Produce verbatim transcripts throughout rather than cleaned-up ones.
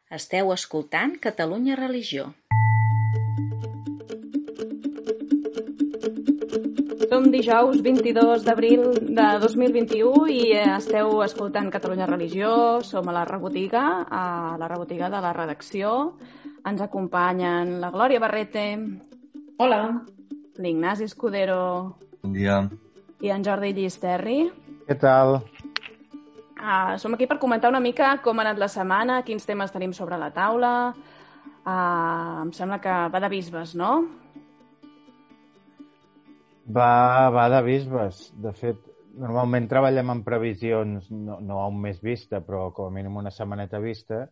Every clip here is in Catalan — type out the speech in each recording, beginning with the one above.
Esteu escoltant Catalunya Religió. Som dijous vint-i-dos d'abril de dos mil vint-i-u i esteu escoltant Catalunya Religió. Som a la rebotiga, a la rebotiga de la redacció. Ens acompanyen la Glòria Barrete. Hola. L'Ignasi Escudero. Bon dia. I en Jordi Llisterri. Què tal? Uh, som aquí per comentar una mica com ha anat la setmana, quins temes tenim sobre la taula. Uh, em sembla que va de bisbes, no? Va, va de bisbes. De fet, normalment treballem en previsions, no, no a un mes vista, però com a mínim una setmaneta vista,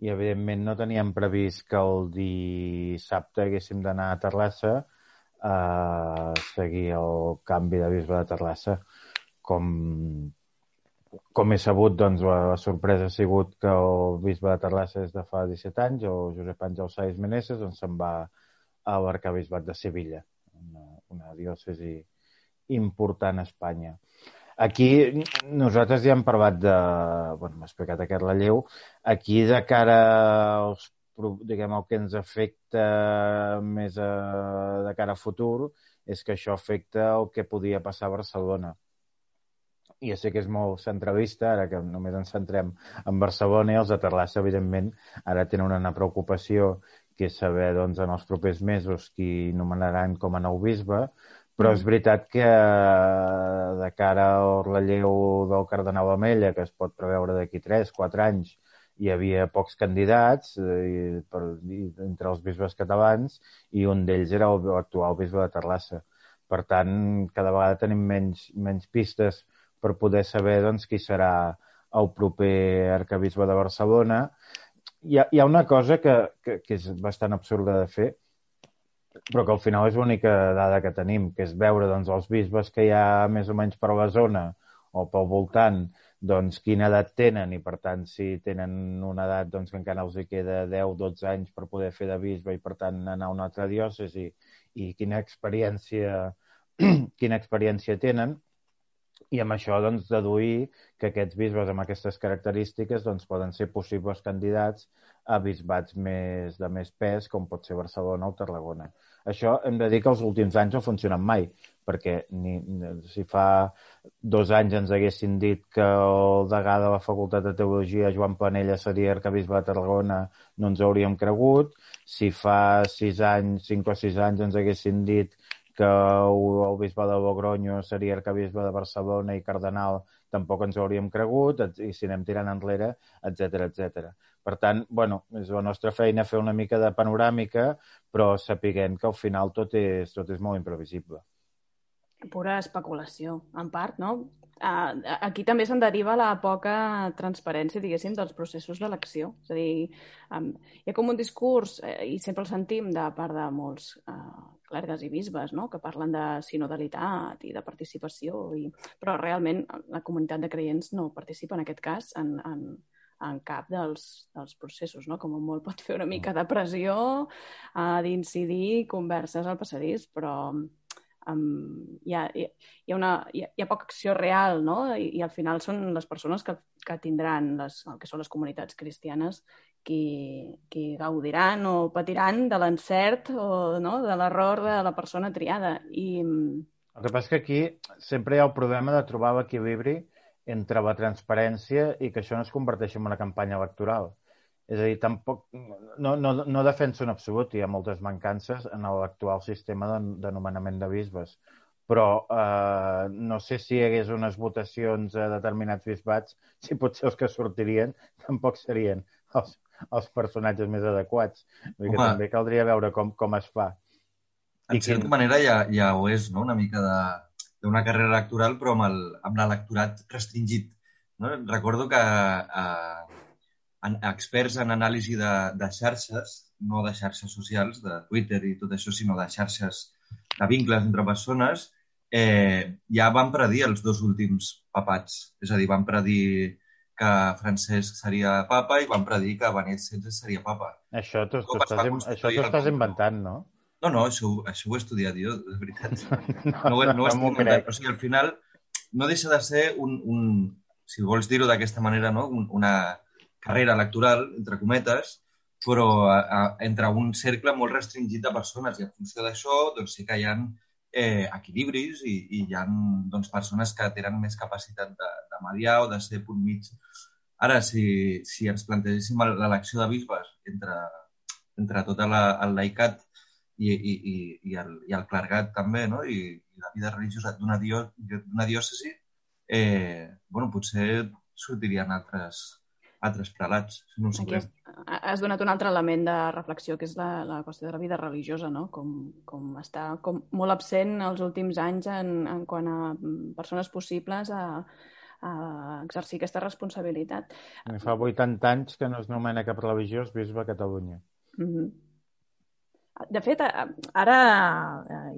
i evidentment no teníem previst que el dissabte haguéssim d'anar a Terrassa a seguir el canvi de bisbe de Terrassa. Com, com he sabut, doncs la sorpresa ha sigut que el bisbe de Terrassa és de fa disset anys, o Josep Àngel Sáez Meneses, doncs se'n va a l'arquebisbat de Sevilla, una, una diòcesi important a Espanya. Aquí nosaltres ja hem parlat de... Bueno, m'ha explicat aquest relleu. Aquí, de cara als, diguem, el que ens afecta més a, de cara a futur, és que això afecta el que podia passar a Barcelona. I ja sé que és molt centralista, ara que només ens centrem en Barcelona, i els de Terrassa, evidentment, ara tenen una preocupació, que és saber, doncs, en els propers mesos qui nomenaran com a nou bisbe, però és veritat que de cara al relleu del cardenal Amella, que es pot preveure d'aquí tres quatre anys, hi havia pocs candidats i, per, i, entre els bisbes catalans, i un d'ells era l'actual bisbe de Terrassa. Per tant, cada vegada tenim menys, menys pistes per poder saber, doncs, qui serà el proper arquebisbe de Barcelona. Hi ha, hi ha una cosa que, que, que és bastant absurda de fer, però que al final és l'única dada que tenim, que és veure, doncs, els bisbes que hi ha més o menys per la zona o pel voltant, doncs, quina edat tenen, i per tant, si tenen una edat, doncs, que encara els hi queda deu dotze anys per poder fer de bisbe i per tant anar a una altra diòcesi, i quina experiència, quina experiència tenen, i amb això, doncs, deduir que aquests bisbes amb aquestes característiques, doncs, poden ser possibles candidats a bisbats més, de més pes, com pot ser Barcelona o Tarragona. Això hem de dir que els últims anys no ha funcionat mai, perquè ni, si fa dos anys ens haguessin dit que el degà de la Facultat de Teologia, Joan Planella, seria arquebisbe de Tarragona, no ens hauríem cregut. Si fa sis anys, cinc o sis anys ens haguessin dit que el bisbe de Logronyo seria arquebisbe de Barcelona i cardenal, tampoc ens ho hauríem cregut, i si anem tirant enrere, etcètera, etcètera. Per tant, bueno, és la nostra feina fer una mica de panoràmica, però sapiguem que al final tot és, tot és molt imprevisible. Pura especulació, en part, no? Aquí també se'n deriva la poca transparència, diguéssim, dels processos d'elecció. És a dir, hi ha com un discurs, i sempre el sentim de part de molts clergues i bisbes, no?, que parlen de sinodalitat i de participació, i... però realment la comunitat de creients no participa en aquest cas en, en, en cap dels, dels processos, no? Com molt pot fer una mica de pressió, uh, d'incidir, converses al passadís, però um, hi, ha, hi, ha una, hi, ha, hi ha poca acció real, no? I, i al final són les persones que, que tindran les, el que són les comunitats cristianes qui, qui gaudiran o patiran de l'encert o, no?, de l'error de la persona triada. I... El que passa és que aquí sempre hi ha el problema de trobar l'equilibri entre la transparència i que això no es converteixi en una campanya electoral. És a dir, tampoc, no, no, no defenso en absolut, hi ha moltes mancances en l'actual sistema de, de nomenament de bisbes, però eh, no sé si hi hagués unes votacions a determinats bisbats, si potser els que sortirien tampoc serien els, els personatges més adequats. Vull dir que també caldria veure com, com es fa. En certa quin... manera ja, ja ho és, no?, una mica de... d'una carrera electoral, però amb, el, amb l'electorat restringit. No? Recordo que eh, en, experts en anàlisi de, de xarxes, no de xarxes socials, de Twitter i tot això, sinó de xarxes de vincles entre persones, eh, ja van predir els dos últims papats. És a dir, van predir que Francesc seria papa i van predir que Benet setze seria papa. Això t'ho estàs inventant, no? No, no, això, això ho he estudiat jo, de veritat. No, no, no ho estic inventant. O sigui, al final no deixa de ser un, un si vols dir-ho d'aquesta manera, no?, un, una carrera electoral, entre cometes, però a, a, entre un cercle molt restringit de persones, i en funció d'això doncs sí que hi ha eh, equilibris i, i hi ha doncs, persones que tenen més capacitat de, de mediar o de ser punt mig. Ara, si, si ens plantegéssim l'elecció de bisbes entre, entre tot la, el laicat i, i, i, i, el, i el clergat també, no? I, i la vida religiosa d'una dio, diòcesi, eh, bueno, potser sortirien altres, altres prelats. No ho Aquí has, has donat un altre element de reflexió, que és la, la qüestió de la vida religiosa, no? Com, com està com molt absent els últims anys en, en quant a persones possibles a, a exercir aquesta responsabilitat. Fa vuitanta anys que no es nomena cap religiós bisbe a Catalunya. Mm-hmm. De fet, ara,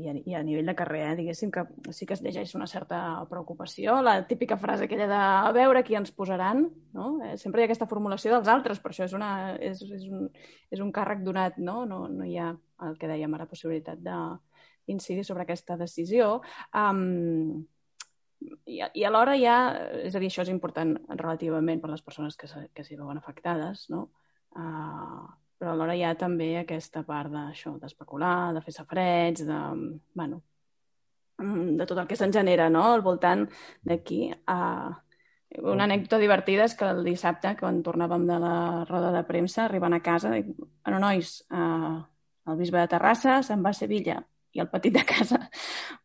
i a, i a nivell de carrer, eh, diguéssim que sí que es llegeix una certa preocupació, la típica frase aquella de a veure qui ens posaran, no? Eh, sempre hi ha aquesta formulació dels altres, per això és, una, és, és, un, és un càrrec donat, no? No, no hi ha el que dèiem ara, possibilitat d'incidir sobre aquesta decisió. Um, i, I alhora hi ha, és a dir, això és important relativament per les persones que, que s'hi veuen afectades, no? Uh, però alhora hi ha també aquesta part d'això, d'especular, de fer safareig, de, bueno, de tot el que se'n genera, no?, al voltant d'aquí. Uh, una anècdota divertida és que el dissabte, quan tornàvem de la roda de premsa, arribant a casa, dic, bueno, nois, uh, el bisbe de Terrassa se'n va a Sevilla, i el petit de casa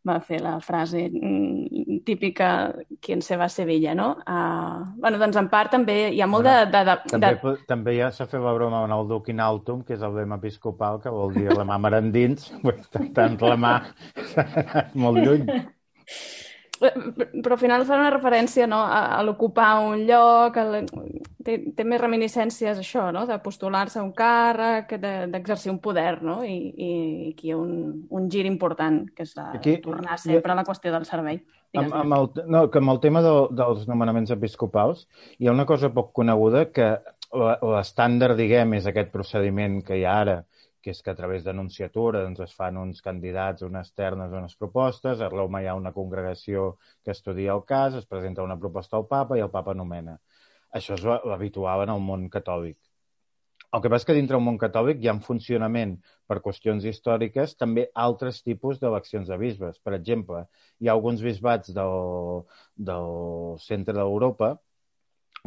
va fer la frase mm, típica quien se va a Sevilla, no? Uh, bueno, doncs en part també hi ha molt bueno, de, de, de... També, de... també ja s'ha fet la broma amb el Duc in Altum, que és el lema episcopal, que vol dir la mà mar endins, tant la mà s'ha anat molt lluny. Però al final fa una referència, no?, a, a l'ocupar un lloc, a la... té, té més reminiscències això, no?, de postular-se a un càrrec, d'exercir un poder, no?, i, i aquí hi ha un, un gir important, que és la, aquí, tornar sempre a la qüestió del servei. Amb, amb el, no, que amb el tema de, dels nomenaments episcopals hi ha una cosa poc coneguda, que l'estàndard, diguem, és aquest procediment que hi ha ara, que és que a través d'anunciatura doncs, es fan uns candidats, unes ternes, unes propostes, a Roma hi ha una congregació que estudia el cas, es presenta una proposta al papa i el papa nomena. Això és l'habitual en el món catòlic. El que passa és que dintre del món catòlic hi ha un funcionament per qüestions històriques també altres tipus d'eleccions de bisbes. Per exemple, hi ha alguns bisbats del, del centre d'Europa,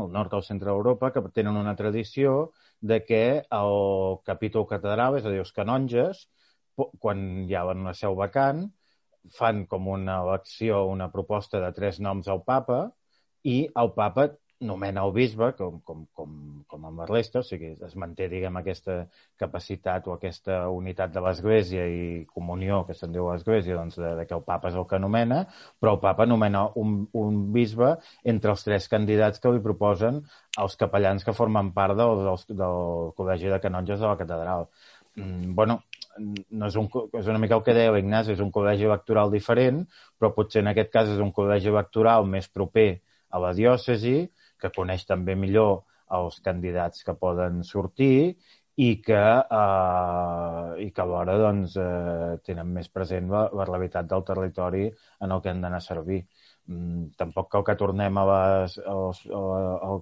al nord del centre d'Europa, que tenen una tradició de que el capítol catedral, és a dir, els canonges, quan hi ha una seu vacant, fan com una elecció, una proposta de tres noms al papa i el papa nomena el bisbe, com, com, com, com amb la resta, o sigui, es manté, diguem, aquesta capacitat o aquesta unitat de l'Església i comunió, que se'n diu l'Església, doncs, de, de que el papa és el que nomena, però el papa nomena un, un bisbe entre els tres candidats que li proposen els capellans que formen part del, del, del Col·legi de Canonges de la Catedral. Mm, bueno, no és, un, és una mica el que deia l'Ignasi, és un col·legi electoral diferent, però potser en aquest cas és un col·legi electoral més proper a la diòcesi, que coneix també millor els candidats que poden sortir i que, eh, i que alhora doncs, eh, tenen més present la, la realitat del territori en el que han d'anar a servir. Mm, tampoc cal que tornem a les, als, al, al,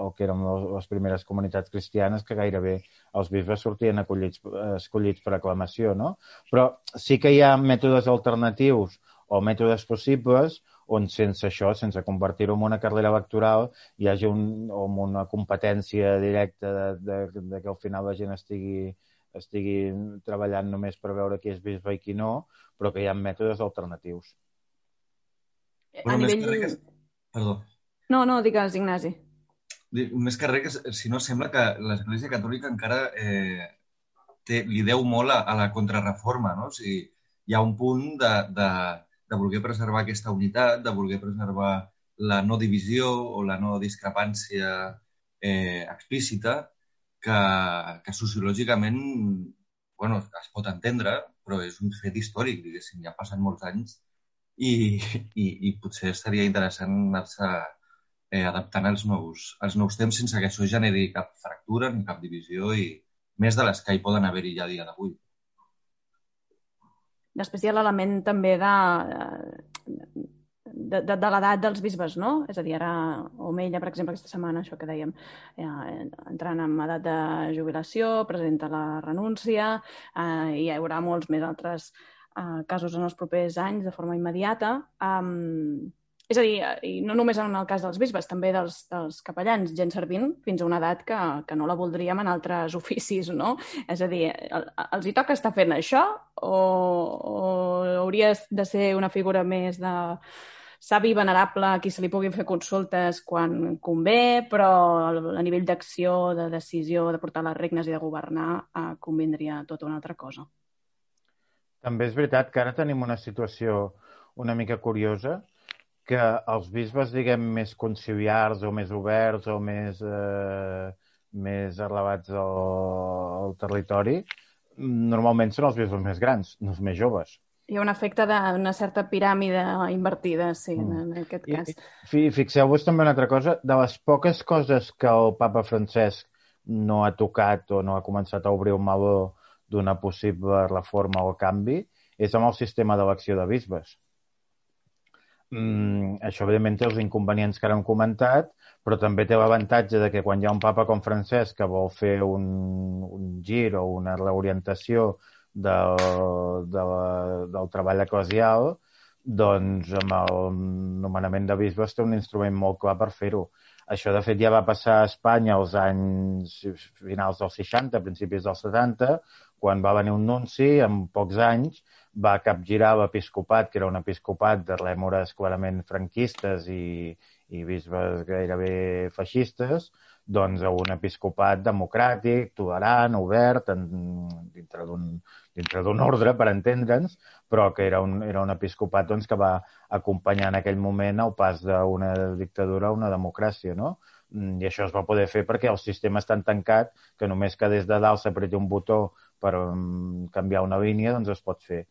al que eren les primeres comunitats cristianes, que gairebé els bisbes sortien acollits, escollits per aclamació, no? Però sí que hi ha mètodes alternatius o mètodes possibles on sense això, sense convertir-ho en una carrera electoral, hi hagi un, una competència directa de, de, de que al final la gent estigui, estigui treballant només per veure qui és bisbe i qui no, però que hi ha mètodes alternatius. A bueno, nivell... Que... Perdó. No, no, digues, Ignasi. Més que res, si no, sembla que l'Església Catòlica encara eh, té, li deu molt a, a la contrarreforma, no? O sigui, hi ha un punt de... de de voler preservar aquesta unitat, de voler preservar la no divisió o la no discrepància eh, explícita, que, que sociològicament bueno, es pot entendre, però és un fet històric, diguéssim, ja passen molts anys i, i, i potser seria interessant anar-se eh, adaptant als nous, als nous temps sense que això generi cap fractura ni cap divisió i més de les que hi poden haver-hi ja a dia d'avui. Després hi ha l'element també de, de, de, de l'edat dels bisbes, no? És a dir, ara Omeia, per exemple, aquesta setmana, això que dèiem, eh, entrant en edat de jubilació, presenta la renúncia, eh, i hi haurà molts més altres eh, casos en els propers anys de forma immediata. Um, és a dir, i no només en el cas dels bisbes, també dels, dels capellans, gent servint fins a una edat que, que no la voldríem en altres oficis, no? És a dir, el, els hi toca estar fent això o, o hauria de ser una figura més de savi venerable a qui se li puguin fer consultes quan convé, però a nivell d'acció, de decisió, de portar les regnes i de governar, eh, convindria tota una altra cosa. També és veritat que ara tenim una situació una mica curiosa, que els bisbes, diguem, més conciliars o més oberts o més, eh, més elevats al, al territori, normalment són els bisbes més grans, no els més joves. Hi ha un efecte d'una certa piràmide invertida, sí, mm. en aquest cas. I, fixeu-vos també una altra cosa, de les poques coses que el papa Francesc no ha tocat o no ha començat a obrir un meló d'una possible reforma o canvi, és amb el sistema d'elecció de bisbes. Mm, això, evidentment, té els inconvenients que ara hem comentat, però també té l'avantatge de que quan hi ha un papa com Francesc que vol fer un, un gir o una reorientació del, de la, del treball eclesial, doncs amb el nomenament de bisbes té un instrument molt clar per fer-ho. Això, de fet, ja va passar a Espanya als anys finals dels seixanta, principis dels setanta, quan va venir un nunci, en pocs anys, va capgirar l'episcopat, que era un episcopat de rèmores clarament franquistes i, i bisbes gairebé feixistes, doncs a un episcopat democràtic, tolerant, obert, en, dintre d'un dintre d'un ordre, per entendre'ns, però que era un, era un episcopat doncs, que va acompanyar en aquell moment el pas d'una dictadura a una democràcia, no? I això es va poder fer perquè el sistema és tan tancat que només que des de dalt s'apreti un botó per um, canviar una línia, doncs es pot fer.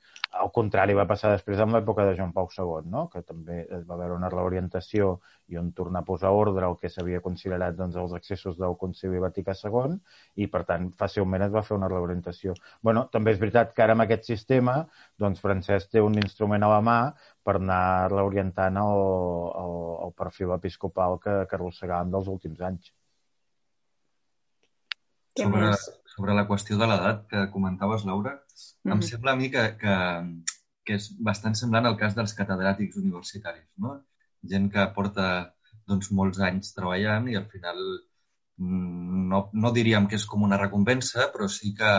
Al contrari, va passar després amb l'època de Joan Pau segon, no? Que també es va haver una reorientació i on tornar a posar ordre el que s'havia considerat doncs, els excessos del Concili Vaticà segon i, per tant, fàcilment es va fer una reorientació. Bueno, també és veritat que ara amb aquest sistema doncs, Francesc té un instrument a la mà per anar reorientant el, el, el perfil episcopal que, que arrossegàvem dels últims anys. Sobre, sobre la qüestió de l'edat que comentaves, Laura, mm. em sembla a mi que, que, que és bastant semblant al cas dels catedràtics universitaris, no? Gent que porta doncs, molts anys treballant i al final no, no diríem que és com una recompensa, però sí que,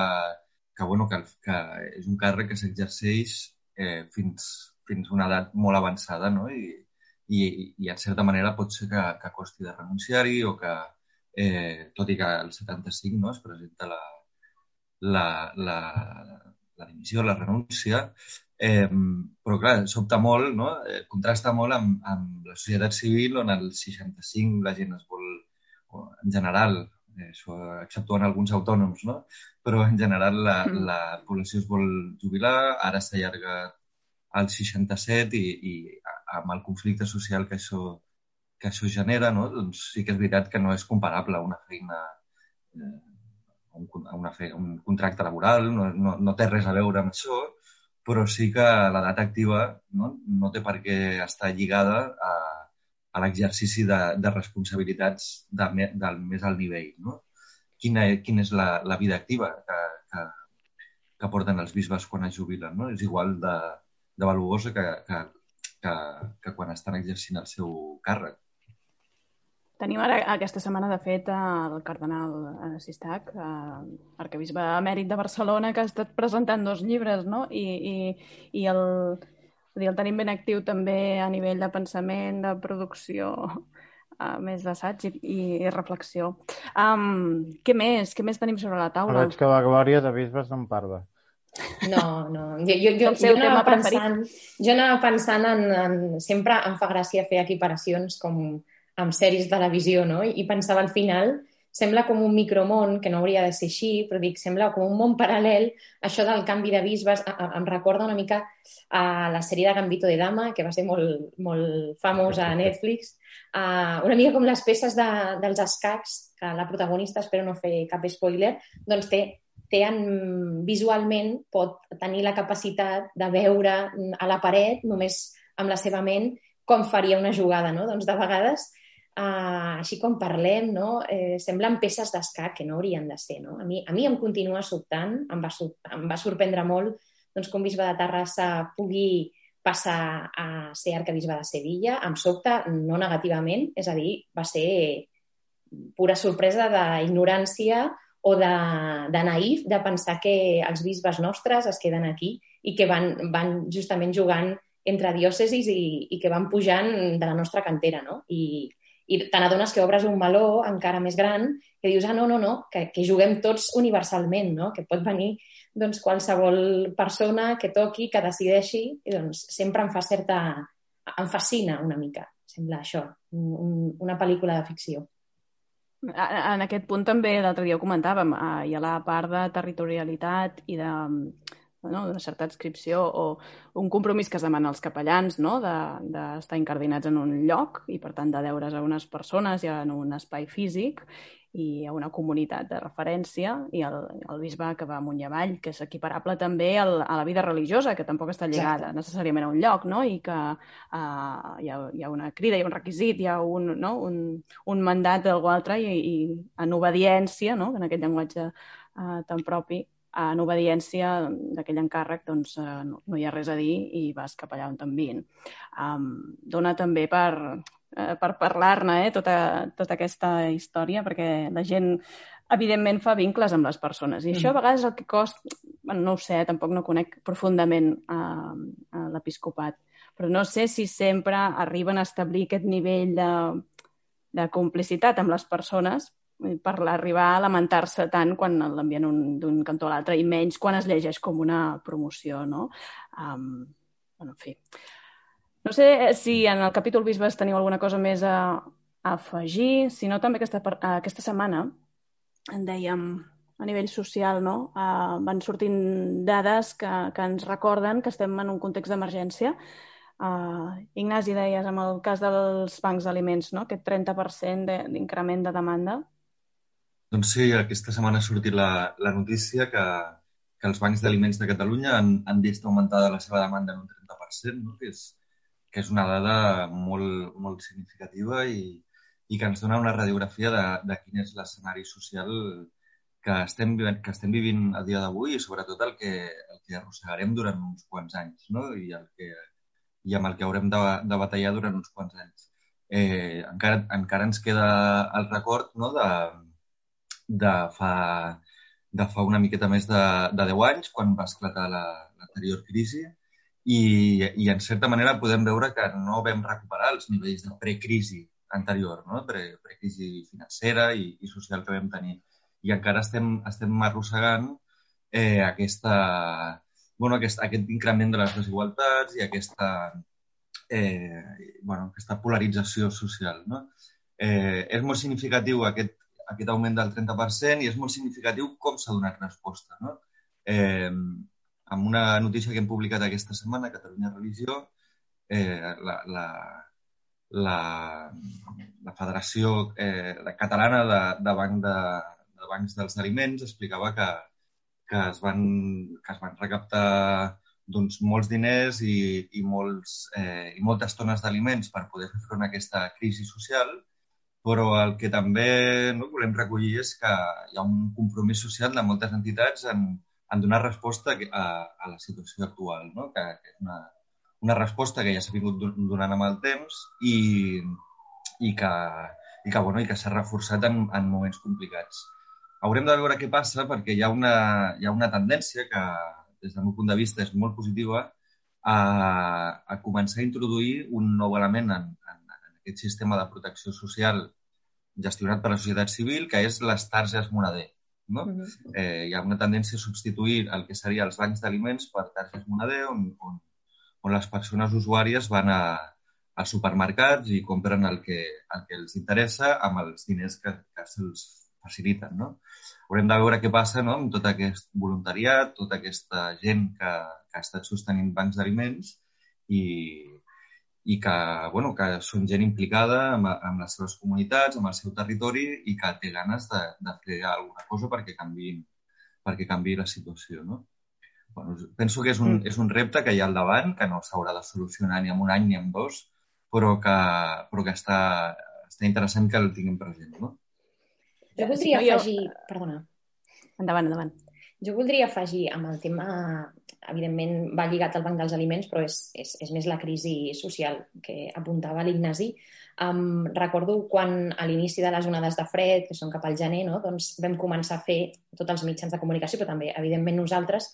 que, bueno, que, que és un càrrec que s'exerceix eh, fins, fins a una edat molt avançada, no? I, i, i en certa manera pot ser que, que costi de renunciar-hi o que Eh, tot i que al setanta-cinc no, es presenta la, la, la, la dimissió, la renúncia, eh, però clar, sobta molt, no? eh, contrasta molt amb, amb la societat civil on al seixanta-cinc la gent es vol, en general, eh, això, exceptuant alguns autònoms, no? Però en general la, la població es vol jubilar, ara s'allarga al seixanta-set i, i amb el conflicte social que això que això genera, no? Doncs sí que és veritat que no és comparable a una feina, eh, a, un, a una fe, a un contracte laboral, no, no, no té res a veure amb això, però sí que l'edat activa no, no té per què estar lligada a, a l'exercici de, de responsabilitats de, me, del més alt nivell. No? Quina, quina és la, la vida activa que, que, que porten els bisbes quan es jubilen? No? És igual de, de valuosa que, que, que, que quan estan exercint el seu càrrec. Tenim ara, aquesta setmana, de fet, el cardenal Sistac, arquebisbe emèrit de Barcelona, que ha estat presentant dos llibres, no? I, i, i el, el tenim ben actiu també a nivell de pensament, de producció, uh, més d'assaig i, i reflexió. Um, què més? Què més tenim sobre la taula? Veig que la Glòria de bisbes no en parla. No, no. Jo, jo, jo, jo, anava, pensant, jo anava pensant en, en... Sempre em fa gràcia fer equiparacions com amb sèries de televisió, no? I pensava al final, sembla com un micromón, que no hauria de ser així, però dic, sembla com un món paral·lel, això del canvi de bisbes, em recorda una mica a la sèrie de Gambito de Dama, que va ser molt, molt famosa a Netflix, uh, una mica com les peces de, dels escacs, que la protagonista, espero no fer cap spoiler, doncs té, té en, visualment pot tenir la capacitat de veure a la paret, només amb la seva ment, com faria una jugada, no? Doncs de vegades, uh, així com parlem, no? eh, semblen peces d'escac que no haurien de ser, no? A mi, a mi em continua sobtant, em va, em va sorprendre molt doncs, que un bisbe de Terrassa pugui passar a ser arquebisbe de Sevilla. Em sobta, no negativament, és a dir, va ser pura sorpresa d'ignorància o de, de naïf de pensar que els bisbes nostres es queden aquí i que van, van justament jugant entre diòcesis i, i que van pujant de la nostra cantera, no? I, i te n'adones que obres un meló encara més gran que dius, ah, no, no, no, que, que juguem tots universalment, no? Que pot venir doncs, qualsevol persona que toqui, que decideixi, i doncs sempre em fa certa... em fascina una mica, sembla això, un, una pel·lícula de ficció. En aquest punt també l'altre dia ho comentàvem, hi ha la part de territorialitat i de, no, de certa adscripció o un compromís que es demana als capellans, no? d'estar de, incardinats en un lloc i per tant de deure's a unes persones i en un espai físic i a una comunitat de referència, i el, el bisbe que va amunt i avall, que és equiparable també al, a la vida religiosa, que tampoc està lligada Exacte. necessàriament a un lloc, no? I que uh, hi, ha, hi ha una crida, hi ha un requisit, hi ha un, no? un, un mandat d'algú altre i, i en obediència, no? En aquest llenguatge uh, tan propi, en obediència d'aquell encàrrec, doncs uh, no, no hi ha res a dir i vas cap allà on t'envien. Um, dona també per... per parlar-ne, eh, tota, tota aquesta història, perquè la gent, evidentment, fa vincles amb les persones. I això, a vegades, el que costa... Bueno, no ho sé, tampoc no conec profundament a, a l'episcopat, però no sé si sempre arriben a establir aquest nivell de, de complicitat amb les persones per arribar a lamentar-se tant quan l'envien d'un cantó a l'altre, i menys quan es llegeix com una promoció, no? Um, bueno, en fi... No sé si en el capítol bisbes teniu alguna cosa més a, a afegir, si no també aquesta, aquesta setmana, en dèiem, a nivell social, no? Uh, van sortint dades que, que ens recorden que estem en un context d'emergència. Uh, Ignasi, deies, amb el cas dels bancs d'aliments, no? Aquest trenta per cent d'increment de demanda. Doncs sí, aquesta setmana ha sortit la, la notícia que, que els bancs d'aliments de Catalunya han, han vist augmentada la seva demanda en un trenta per cent, no? Que és que és una dada molt, molt significativa i, i que ens dona una radiografia de, de quin és l'escenari social que estem, que estem vivint a dia d'avui i sobretot el que, el que arrossegarem durant uns quants anys, no? I, el que, i amb el que haurem de, de batallar durant uns quants anys. Eh, encara, encara ens queda el record, no? de, de, fa, de fa una miqueta més de, de deu anys, quan va esclatar l'anterior la, crisi, I, i en certa manera podem veure que no vam recuperar els nivells de precrisi anterior, no? Pre, precrisi financera i, i social que vam tenir. I encara estem, estem arrossegant eh, aquesta, bueno, aquest, aquest increment de les desigualtats i aquesta, eh, bueno, aquesta polarització social, no? Eh, és molt significatiu aquest, aquest augment del trenta per cent i és molt significatiu com s'ha donat resposta, no? Eh, amb una notícia que hem publicat aquesta setmana a Catalunya Religió, eh, la, la, la, la Federació eh, Catalana de, de, banc de, de Bancs dels Aliments explicava que, que, es, van, que es van recaptar doncs, molts diners i, i, molts, eh, i moltes tones d'aliments per poder fer front a aquesta crisi social, però el que també no, volem recollir és que hi ha un compromís social de moltes entitats en en donar resposta a, a la situació actual, no? que, que és una, una resposta que ja s'ha vingut donant amb el temps i, i que, i que, bueno, i que s'ha reforçat en, en moments complicats. Haurem de veure què passa perquè hi ha una, hi ha una tendència que, des del meu punt de vista, és molt positiva a, a començar a introduir un nou element en, en, en aquest sistema de protecció social gestionat per la societat civil, que és les targes moneder. No? Uh-huh. eh, hi ha una tendència a substituir el que serien els bancs d'aliments per targes moneder on, on, on les persones usuàries van a, als supermercats i compren el que, el que els interessa amb els diners que, que se'ls faciliten. No? Haurem de veure què passa, no? Amb tot aquest voluntariat, tota aquesta gent que, que ha estat sostenint bancs d'aliments i, i que, bueno, que són gent implicada amb, amb les seves comunitats, amb el seu territori i que té ganes de, de fer alguna cosa perquè canviï, perquè canviï la situació, no? Bueno, penso que és un, mm. és un repte que hi ha al davant, que no s'haurà de solucionar ni en un any ni en dos, però que, però que està, està interessant que el tinguem present, no? Jo voldria sí, no, afegir... Jo... Perdona. Endavant, endavant. Jo voldria afegir amb el tema, evidentment va lligat al Banc dels Aliments, però és, és, és més la crisi social que apuntava l'Ignasi. Um, recordo quan a l'inici de les onades de fred, que són cap al gener, no? Doncs vam començar a fer tots els mitjans de comunicació, però també, evidentment, nosaltres,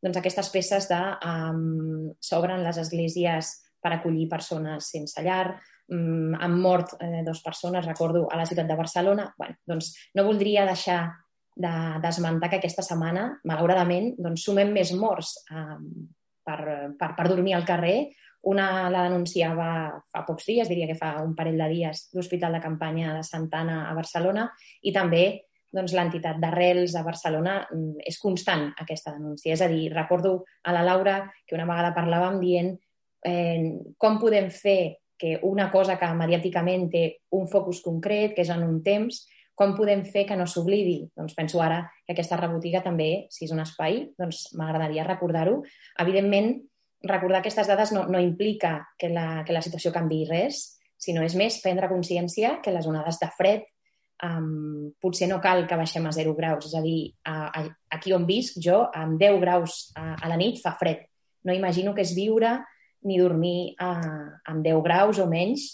doncs aquestes peces de um, s'obren les esglésies per acollir persones sense llar, um, han mort eh, dues persones, recordo, a la ciutat de Barcelona. Bueno, doncs no voldria deixar d'esmentar que aquesta setmana, malauradament, doncs, sumem més morts eh, per, per, per dormir al carrer. Una la denunciava fa pocs dies, diria que fa un parell de dies, l'Hospital de Campanya de Santa Anna a Barcelona, i també doncs, l'entitat d'Arrels a Barcelona. És constant aquesta denúncia. És a dir, recordo a la Laura que una vegada parlàvem dient eh, com podem fer que una cosa que mediàticament té un focus concret, que és en un temps, com podem fer que no s'oblidi? Doncs penso ara que aquesta rebotiga també, si és un espai, doncs m'agradaria recordar-ho. Evidentment, recordar aquestes dades no, no implica que la, que la situació canviï res, sinó és més prendre consciència que les onades de fred um, potser no cal que baixem a zero graus. És a dir, a, a, aquí on visc jo, amb deu graus a, a la nit fa fred. No imagino que és viure ni dormir a, amb deu graus o menys.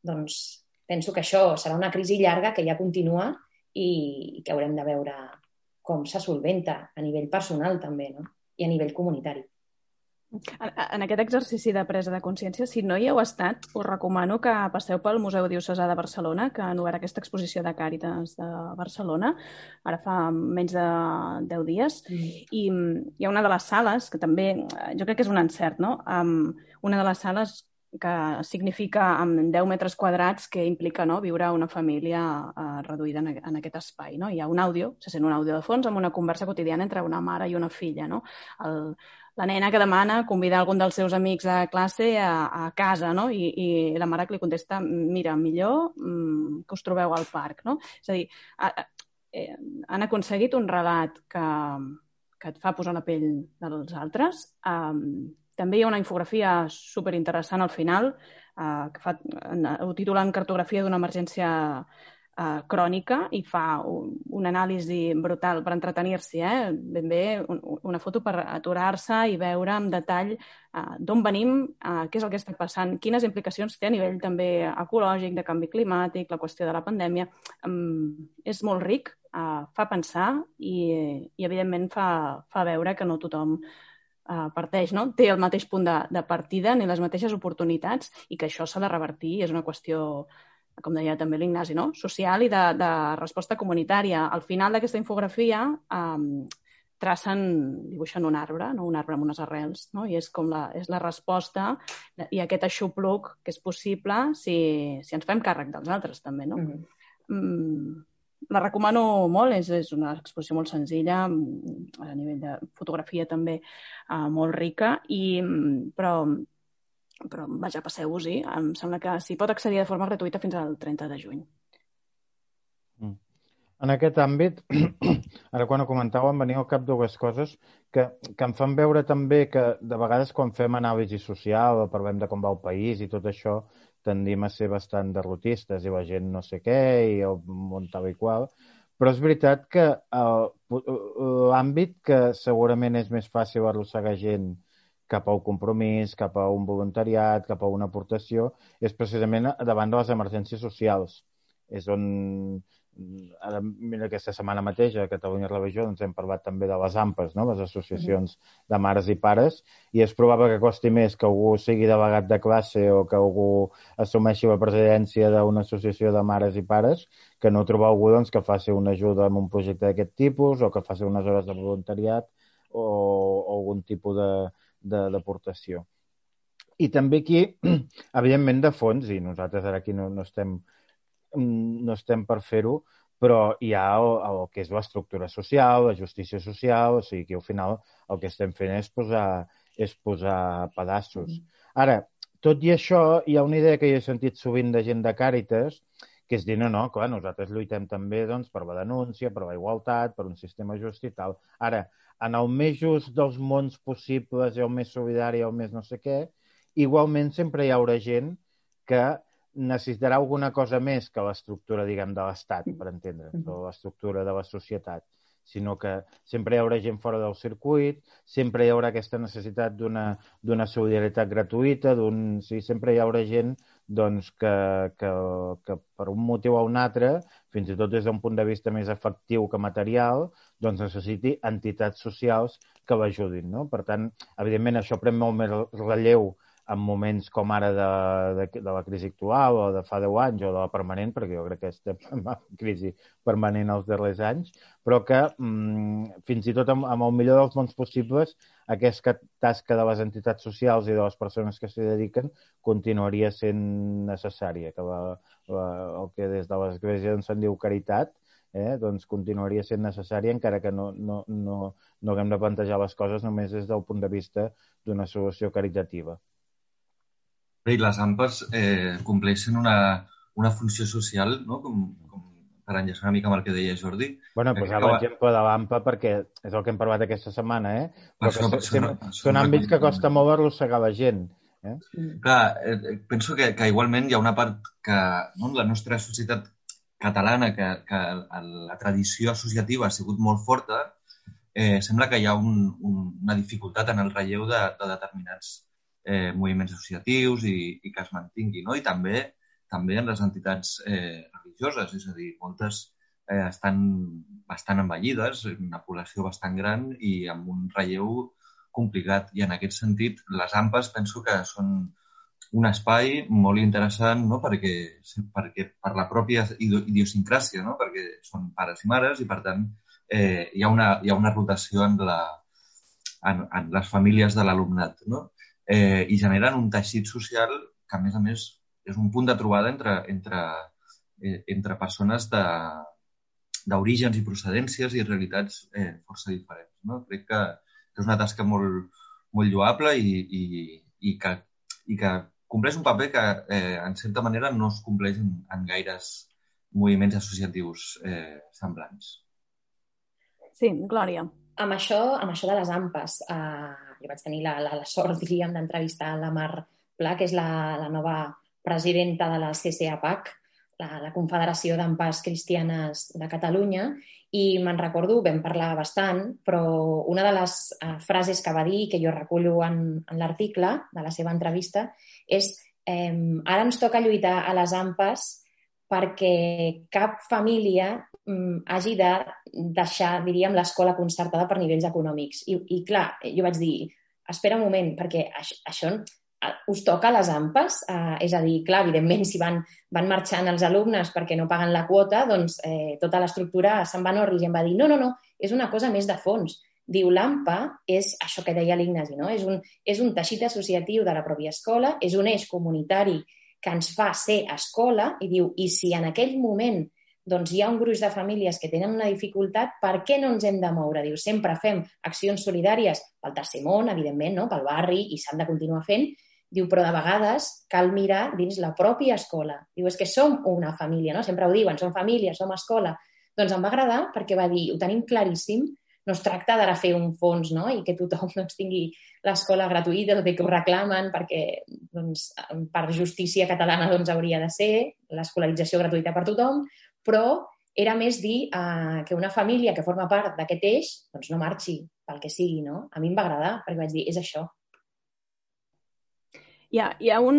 Doncs penso que això serà una crisi llarga que ja continua i que haurem de veure com se solventa a nivell personal també, no? I a nivell comunitari. En aquest exercici de presa de consciència, si no hi heu estat, us recomano que passeu pel Museu Diocesà de Barcelona, que han obert aquesta exposició de Càritas de Barcelona, ara fa menys de deu dies, mm. i hi ha una de les sales, que també, jo crec que és un encert, no? Um, una de les sales que significa amb deu metres quadrats, que implica, no, viure una família uh, reduïda en, en aquest espai. No? Hi ha un àudio, se sent un àudio de fons, amb una conversa quotidiana entre una mare i una filla. No? El, la nena que demana convidar algun dels seus amics a classe a, a casa, no? I, i la mare que li contesta, mira, millor mm, que us trobeu al parc. No? És a dir, a, a, eh, han aconseguit un relat que, que et fa posar la pell dels altres. Um, També hi ha una infografia superinteressant al final, eh, que fa, ho titulen Cartografia d'una emergència eh, crònica, i fa un, un anàlisi brutal per entretenir-s'hi, eh? Ben bé, un, una foto per aturar-se i veure en detall eh, d'on venim, eh, què és el que està passant, quines implicacions té a nivell també ecològic, de canvi climàtic, la qüestió de la pandèmia. Um, és molt ric, eh, fa pensar i, i evidentment, fa, fa veure que no tothom Uh, parteix, no? Té el mateix punt de, de partida ni les mateixes oportunitats, i que això s'ha de revertir. És una qüestió, com deia també l'Ignasi, no? Social i de, de resposta comunitària. Al final d'aquesta infografia um, tracen, dibuixen un arbre, no? Un arbre amb unes arrels, no? I és com la, és la resposta i aquest aixopluc que és possible si, si ens fem càrrec dels altres, també, no? Mm-hmm. Mm, la recomano molt, és, és una exposició molt senzilla, a nivell de fotografia també uh, molt rica, i, però, però vaja, passeu-vos-hi. Em sembla que s'hi pot accedir de forma gratuïta fins al trenta de juny. En aquest àmbit, ara quan ho comentàvem, venia al cap dues coses que, que em fan veure també que de vegades quan fem anàlisi social o parlem de com va el país i tot això, tendim a ser bastant derrotistes i la gent no sé què i el món tal i qual, però és veritat que l'àmbit que segurament és més fàcil arrossegar gent cap al compromís, cap a un voluntariat, cap a una aportació, és precisament davant de les emergències socials. És on, ara, mira, aquesta setmana mateix a Catalunya Religió ens hem parlat també de les A M P Es, no? Les associacions de mares i pares, i és probable que costi més que algú sigui delegat de classe o que algú assumeixi la presidència d'una associació de mares i pares que no trobar algú doncs, que faci una ajuda en un projecte d'aquest tipus o que faci unes hores de voluntariat o, o algun tipus d'aportació. I també aquí, evidentment, de fons, i nosaltres ara aquí no, no estem no estem per fer-ho, però hi ha el, el que és l'estructura social, la justícia social, o sigui que al final el que estem fent és posar, és posar pedaços. Ara, tot i això, hi ha una idea que jo he sentit sovint de gent de Càritas, que és dir, no, no, clar, nosaltres lluitem també doncs, per la denúncia, per la igualtat, per un sistema just i tal. Ara, en el més just dels mons possibles, i el més solidari, el més no sé què, igualment sempre hi haurà gent que necessitarà alguna cosa més que l'estructura, diguem, de l'Estat, per entendre'ns, o l'estructura de la societat, sinó que sempre hi haurà gent fora del circuit, sempre hi haurà aquesta necessitat d'una solidaritat gratuïta, sí, sempre hi haurà gent doncs, que, que, que per un motiu o un altre, fins i tot des d'un punt de vista més efectiu que material, doncs necessiti entitats socials que l'ajudin, no? Per tant, evidentment, això pren molt més relleu en moments com ara de, de, de la crisi actual o de fa deu anys o de la permanent, perquè jo crec que estem en crisi permanent els darrers anys, però que mmm, fins i tot amb, amb el millor dels mons possibles aquesta tasca de les entitats socials i de les persones que s'hi dediquen continuaria sent necessària, que la, la, el que des de l'Església se'n diu caritat, eh, doncs continuaria sent necessària encara que no, no, no, no haguem de plantejar les coses només des del punt de vista d'una solució caritativa. I les A M P es eh, compleixen una, una funció social, no? com, com per enllaçar una mica amb el que deia Jordi. Bueno, posava l'exemple de l'A M P A perquè és el que hem parlat aquesta setmana, eh? Però això, que això, no, són àmbits que costa molt arrossegar la gent. Eh? Clar, eh, penso que, que igualment hi ha una part que no, la nostra societat catalana, que, que la tradició associativa ha sigut molt forta, eh, sembla que hi ha un, un, una dificultat en el relleu de, de determinats Eh, moviments associatius i, i que es mantingui, no? I també també en les entitats eh, religioses, és a dir, moltes eh, estan bastant envellides, una població bastant gran i amb un relleu complicat. I en aquest sentit, les A M P As penso que són un espai molt interessant, no? perquè, perquè per la pròpia idiosincràsia, no? Perquè són pares i mares i, per tant, eh, hi ha una, hi ha una rotació en, la, en, en les famílies de l'alumnat, no? Eh, i generen un teixit social que, a més a més, és un punt de trobada entre, entre, eh, entre persones d'orígens i procedències i realitats eh, força diferents. No? Crec que, que és una tasca molt, molt lloable i, i, i, que, i que compleix un paper que, eh, en certa manera, no es compleix en, en gaires moviments associatius eh, semblants. Sí, Glòria. Amb això, amb això de les A M P As, eh, jo vaig tenir la, la, la sort, diríem, d'entrevistar la Mar Pla, que és la, la nova presidenta de la C C A P A C, la, la Confederació d'A M P As Cristianes de Catalunya, i me'n recordo, vam parlar bastant, però una de les eh, frases que va dir, que jo recullo en, en l'article de la seva entrevista, és eh, ara ens toca lluitar a les A M P As perquè cap família mm, hagi de deixar, diríem, l'escola concertada per nivells econòmics. I, i clar, jo vaig dir, espera un moment, perquè això, això us toca a les A M P As? Eh, és a dir, clar, evidentment, si van, van marxant els alumnes perquè no paguen la quota, doncs eh, tota l'estructura se'n va en orris. I em va dir, no, no, no, és una cosa més de fons. Diu, l'A M P A és això que deia l'Ignasi, no? És un, és un teixit associatiu de la pròpia escola, és un eix comunitari que ens fa ser escola, i diu, i si en aquell moment doncs hi ha un gruix de famílies que tenen una dificultat, per què no ens hem de moure? Diu, sempre fem accions solidàries pel tercer món, evidentment, no? Pel barri, i s'han de continuar fent. Diu, però de vegades cal mirar dins la pròpia escola. Diu, és que som una família, no? Sempre ho diuen, som família, som escola. Doncs em va agradar perquè va dir, ho tenim claríssim, no es tracta d'ara fer un fons, no? I que tothom doncs, tingui l'escola gratuïta, tot i que ho reclamen, perquè doncs, per justícia catalana doncs, hauria de ser l'escolarització gratuïta per tothom, però era més dir eh, que una família que forma part d'aquest eix doncs no marxi pel que sigui, no? A mi em va agradar, perquè vaig dir, és això. Hi ha, hi ha un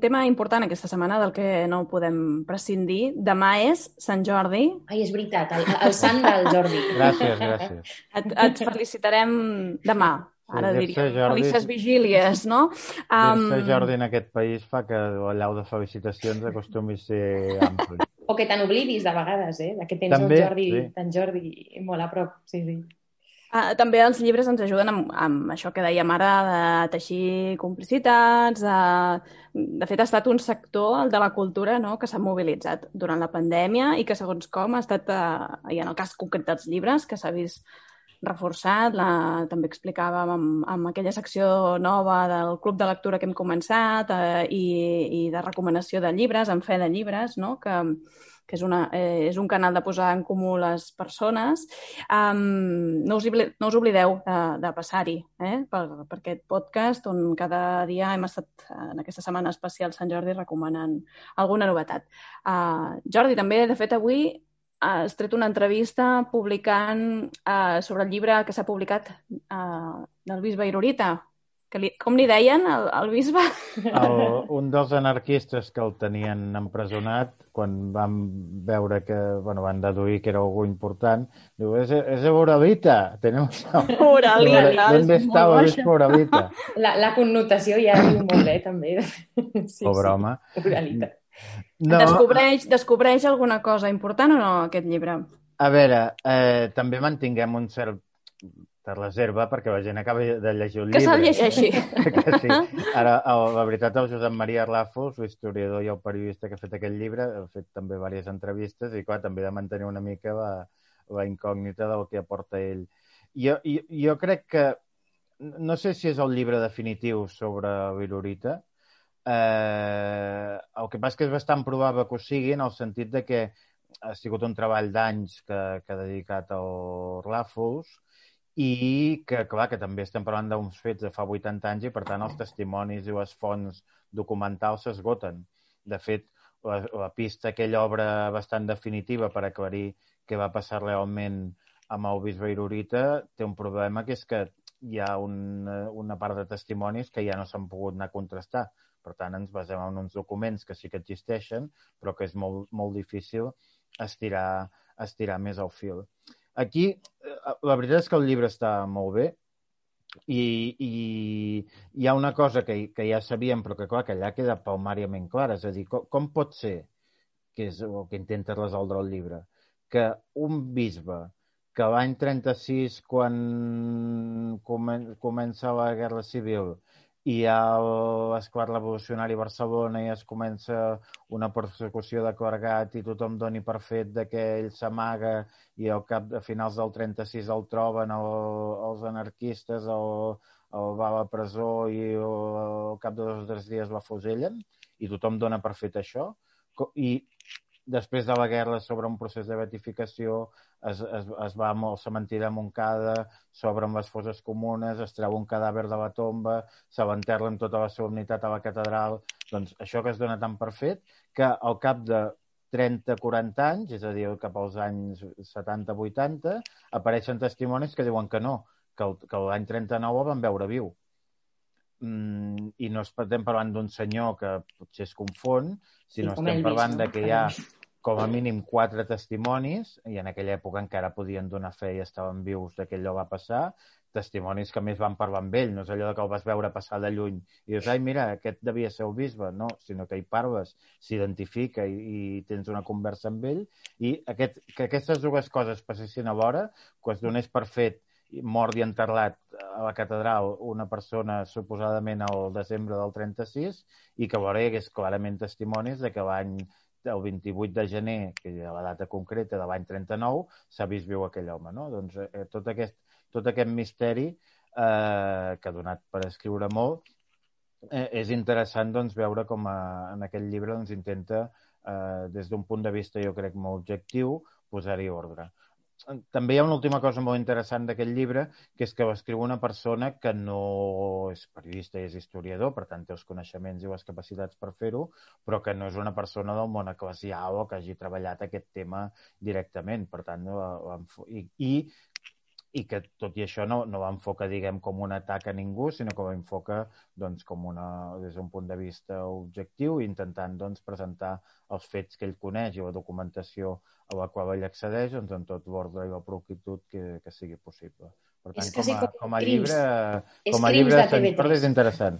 tema important aquesta setmana del que no podem prescindir. Demà és Sant Jordi. Ai, és veritat, el, el sant del Jordi. Gràcies, gràcies. Et, et felicitarem demà. Ara sí, diríem, Jordi, felices vigílies, no? Um... Dir-se Jordi en aquest país fa que l'allau de felicitacions acostumi a ser ampli. O que te n'oblidis de vegades, eh? De que tens També, el Jordi, sí. en Jordi molt a prop. Sí, sí. Uh, també els llibres ens ajuden amb, amb això que dèiem ara, de teixir complicitats. Uh, de fet, ha estat un sector, el de la cultura, no?, que s'ha mobilitzat durant la pandèmia i que, segons com, ha estat, uh, i en el cas concret dels llibres, que s'ha vist reforçat. La, també explicàvem amb, amb aquella secció nova del Club de Lectura que hem començat uh, i, i de recomanació de llibres, en fe de llibres, no?, que, que és, una, eh, és un canal de posar en comú les persones. Um, no, us oblideu, no us oblideu de, de passar-hi eh? per, per aquest podcast on cada dia hem estat en aquesta setmana especial Sant Jordi recomanant alguna novetat. Uh, Jordi, també, de fet, avui has tret una entrevista publicant uh, sobre el llibre que s'ha publicat uh, del bisbe Irurita. Que li, com li deien, el, el bisbe? El, un dels anarquistes que el tenien empresonat, quan van veure que, bueno, van deduir que era algú important, diu, és, és Uralita, tenemos... Uralita. ¿Dónde está el obispo Uralita? La, la connotació ja diu molt bé, també. Sí, Pobre home. Uralita. No. Descobreix, descobreix alguna cosa important o no, aquest llibre? A veure, eh, també mantinguem un cert de reserva perquè la gent acaba de llegir un que llibre. Que se'l llegeixi. Que sí. Ara, la veritat, el Josep Maria Ràfols, l'historiador i el periodista que ha fet aquest llibre, ha fet també diverses entrevistes i, clar, també de mantenir una mica la, la incògnita del que aporta ell. Jo, jo, jo crec que, no sé si és el llibre definitiu sobre l'Irurita, eh, el que passa és que és bastant probable que ho sigui en el sentit de que ha sigut un treball d'anys que, que ha dedicat al Ràfols i que, clar, que també estem parlant d'uns fets de fa vuitanta anys i, per tant, els testimonis i les fonts documentals s'esgoten. De fet, la, la pista, aquella obra bastant definitiva per aclarir què va passar realment amb el bisbe Irurita, té un problema, que és que hi ha una, una part de testimonis que ja no s'han pogut anar a contrastar. Per tant, ens basem en uns documents que sí que existeixen, però que és molt, molt difícil estirar, estirar més el fil. Aquí, la veritat és que el llibre està molt bé i, i hi ha una cosa que, que ja sabíem, però que, clar, que allà queda palmàriament clara. És a dir, com, com pot ser, que és el que intenta resoldre el llibre, que un bisbe que l'any trenta-sis, quan comença la Guerra Civil, i hi ha l'esclat revolucionari a Barcelona i es comença una persecució de clergat i tothom doni per fet de que ell s'amaga i al cap de finals del trenta-sis el troben el, els anarquistes, el, el va a la presó i el, al cap de dos o tres dies l'afusellen i tothom dona per fet això. I després de la guerra s'obre un procés de beatificació, es, es, es va al cementiri de Montcada, s'obren les fosses comunes, es treu un cadàver de la tomba, se l'enterra amb tota la solemnitat a la catedral. Doncs això que es dona tan per fet que al cap de trenta a quaranta anys, és a dir, cap als anys setanta vuitanta, apareixen testimonis que diuen que no, que, el, que l'any trenta-nou el van veure viu. Mm, I no estem parlant d'un senyor que potser es confon, sinó sí, estem parlant de que hi ha com a mínim quatre testimonis, i en aquella època encara podien donar fe i estaven vius de que allò va passar, testimonis que més van parlar amb ell, no és allò que el vas veure passar de lluny i dius, ai, mira, aquest devia ser el bisbe, no, sinó que hi parles, s'identifica i, i tens una conversa amb ell, i aquest, que aquestes dues coses passessin alhora, que es donés per fet mort i enterrat a la catedral una persona suposadament al desembre del trenta-sis i que alhora hi hagués clarament testimonis de que l'any el vint-i-vuit de gener, que és la data concreta de l'any trenta-nou, s'ha vist viu aquell home, no? Doncs eh, tot, aquest, tot aquest misteri eh, que ha donat per escriure molt, eh, és interessant doncs, veure com a, en aquest llibre doncs, intenta, eh, des d'un punt de vista jo crec molt objectiu, posar-hi ordre. També hi ha una última cosa molt interessant d'aquest llibre, que és que l'escriu una persona que no és periodista i és historiador, per tant té els coneixements i les capacitats per fer-ho, però que no és una persona del món eclesial o que hagi treballat aquest tema directament. Per tant, i, i, i que tot i això no, no l'enfoca, diguem, com un atac a ningú, sinó que l'enfoca doncs, com una, des d'un punt de vista objectiu, intentant doncs, presentar els fets que ell coneix i la documentació a la qual ell accedeix doncs, en tot l'ordre i la proquitud que, que sigui possible. Per tant, com a, com a llibre, com a llibre de Sants Perdre és interessant.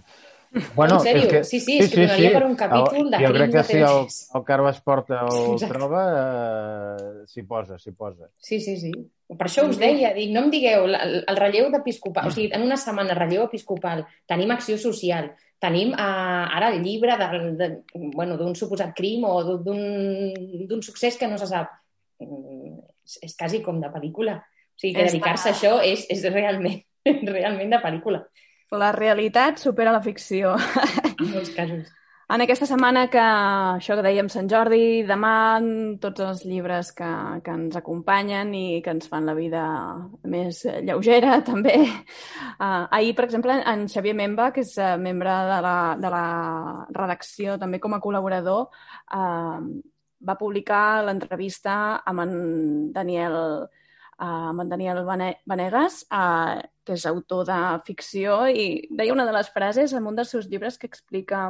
Bueno, en sèrio? És que, sí, sí, és sí, que donaria sí, per un capítol de jo crec que si el, el Carles Porta el Exacte. troba, eh, s'hi posa, s'hi posa. Sí, sí, sí. Per això us deia, dic, no em digueu, el, el relleu d'episcopal, o sigui, en una setmana relleu episcopal, tenim acció social, tenim eh, ara el llibre del, de, bueno, d'un suposat crim o d'un succés que no se sap. És, és quasi com de pel·lícula. O sigui, que dedicar-se a això és, és realment, realment de pel·lícula. La realitat supera la ficció. En molts casos. En aquesta setmana que, això que dèiem Sant Jordi, demà tots els llibres que, que ens acompanyen i que ens fan la vida més lleugera, també. Uh, ahir, per exemple, en Xavier Memba, que és uh, membre de la, de la redacció, també com a col·laborador, uh, va publicar l'entrevista amb en Daniel, uh, amb en Daniel Vanegas, uh, que és autor de ficció, i deia una de les frases en un dels seus llibres que explica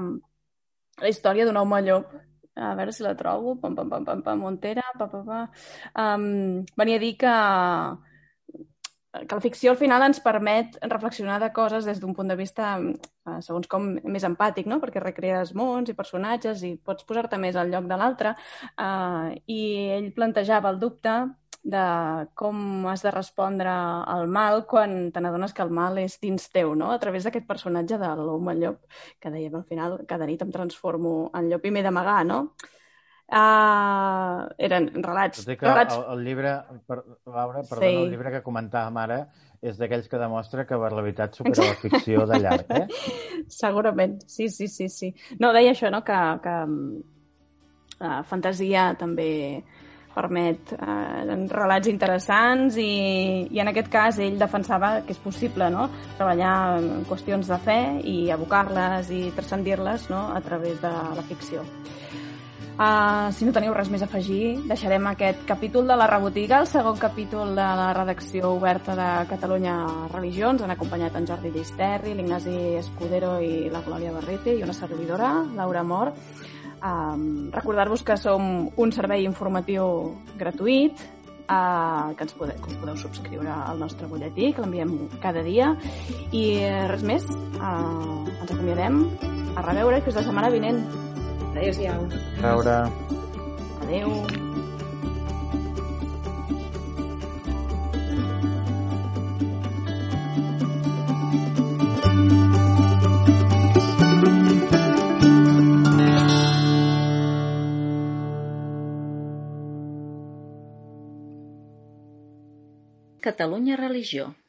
la història d'un home llop. A veure si la trobo. Pam, pam, pam, pam, pam, Montera. Pam, pam, pam. Um, venia a dir que, que la ficció al final ens permet reflexionar de coses des d'un punt de vista, uh, segons com, més empàtic, no? Perquè recrees mons i personatges i pots posar-te més al lloc de l'altre. Uh, I ell plantejava el dubte de com has de respondre al mal quan te n'adones que el mal és dins teu, no? A través d'aquest personatge de l'home llop, que dèiem al final, cada nit em transformo en llop i m'he d'amagar, no? Uh, eren relats... Tot i que relats... el, el llibre, per, Laura, perdona, sí. El llibre que comentàvem ara és d'aquells que demostra que la veritat supera la ficció de llarg, eh? Segurament, sí, sí, sí, sí. No, deia això, no?, que, que uh, fantasia també permet eh, relats interessants i, i en aquest cas ell defensava que és possible, no?, treballar en qüestions de fe i abocar-les i transcendir-les, no?, a través de la ficció. Uh, si no teniu res més a afegir, deixarem aquest capítol de la Rebotiga, el segon capítol de la redacció oberta de Catalunya Religions. Han acompanyat en Jordi Llisterri, l'Ignasi Escudero i la Glòria Barrete i una servidora, Laura Mor. Um, recordar-vos que som un servei informatiu gratuït, uh, que, ens pode, que us podeu subscriure al nostre butlletí, que l'enviem cada dia, i res més, uh, ens acomiadem, a reveure, que és la setmana vinent. Adéu-siau. A veure. Adéu. Catalunya Religió.